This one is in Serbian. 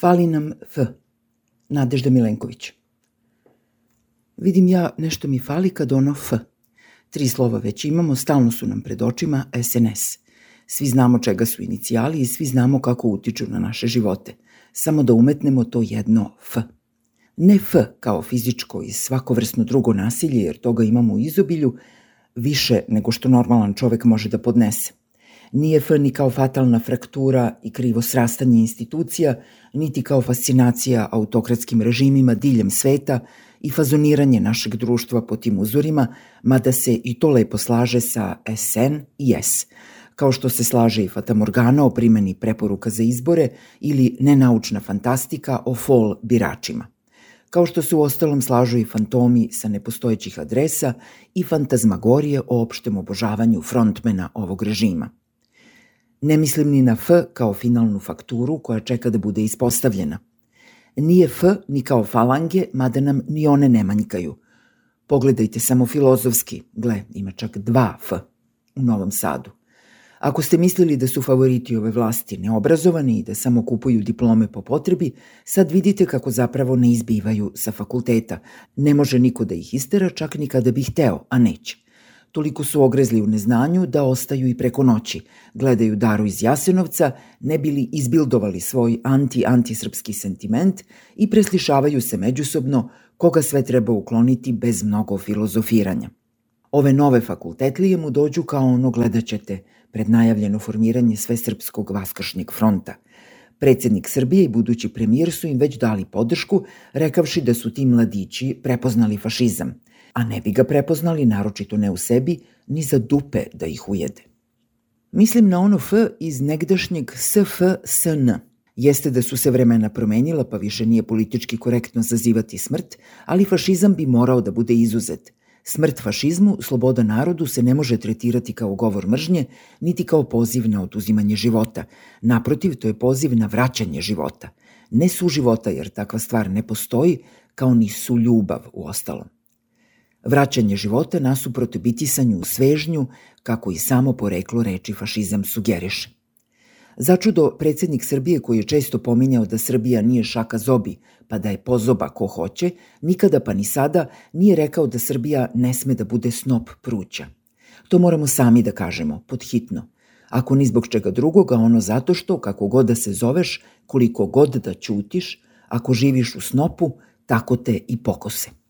Fali nam F. Nadežda Milenković. Vidim ja, nešto mi fali kad ono F. 3 slova već imamo, stalno su nam pred očima SNS. Svi znamo čega su inicijali i svi znamo kako utiču na naše živote. Samo da umetnemo to jedno F. Ne F kao fizičko i svakovrsno drugo nasilje, jer toga imamo u izobilju, više nego što normalan čovek može da podnese. Nije F ni kao fatalna fraktura i krivo srastanje institucija, niti kao fascinacija autokratskim režimima diljem sveta i fazoniranje našeg društva po tim uzorima, mada se i to lepo slaže sa SN i S, kao što se slaže i fatamorgana o primeni preporuka za izbore ili nenaučna fantastika o fol biračima. Kao što se u ostalom slažu i fantomi sa nepostojećih adresa i fantazmagorije o opštem obožavanju frontmena ovog režima. Ne mislim ni na F kao finalnu fakturu koja čeka da bude ispostavljena. Nije F ni kao falange, mada nam ni one ne manjkaju. Pogledajte samo filozofski, gle, ima čak 2 F u Novom Sadu. Ako ste mislili da su favoriti ove vlasti neobrazovani i da samo kupuju diplome po potrebi, sad vidite kako zapravo ne izbivaju sa fakulteta. Ne može niko da ih istera, čak ni kada bi hteo, a neće. Toliko su ogrezli u neznanju da ostaju i preko noći. Gledaju Daru iz Jasenovca, ne bili izbildovali svoj antisrpski sentiment i preslišavaju se međusobno koga sve treba ukloniti bez mnogo filozofiranja. Ove nove fakultetlije mu dođu kao ono, gledat ćete, pred najavljeno formiranje Svesrpskog vaskršnjeg fronta. Predsjednik Srbije i budući premijer su im već dali podršku, rekavši da su ti mladići prepoznali fašizam, a ne bi ga prepoznali, naročito ne u sebi, ni za dupe da ih ujede. Mislim na ono F iz negdašnjeg SFSN. Jeste da su se vremena promenila, pa više nije politički korektno zazivati smrt, ali fašizam bi morao da bude izuzet. Smrt fašizmu, sloboda narodu se ne može tretirati kao govor mržnje, niti kao poziv na oduzimanje života. Naprotiv, to je poziv na vraćanje života. Ne suživota, jer takva stvar ne postoji, kao ni suljubav u ostalom. Vraćanje života nasuprot bitisanju u svežnju, kako i samo poreklo reči fašizam sugeriše. Začudo, predsjednik Srbije, koji je često pominjao da Srbija nije šaka zobi, pa da je pozoba ko hoće, nikada pa ni sada nije rekao da Srbija ne sme da bude snop pruća. To moramo sami da kažemo, podhitno. Ako ni zbog čega drugoga, ono zato što, kako god da se zoveš, koliko god da ćutiš, ako živiš u snopu, tako te i pokose.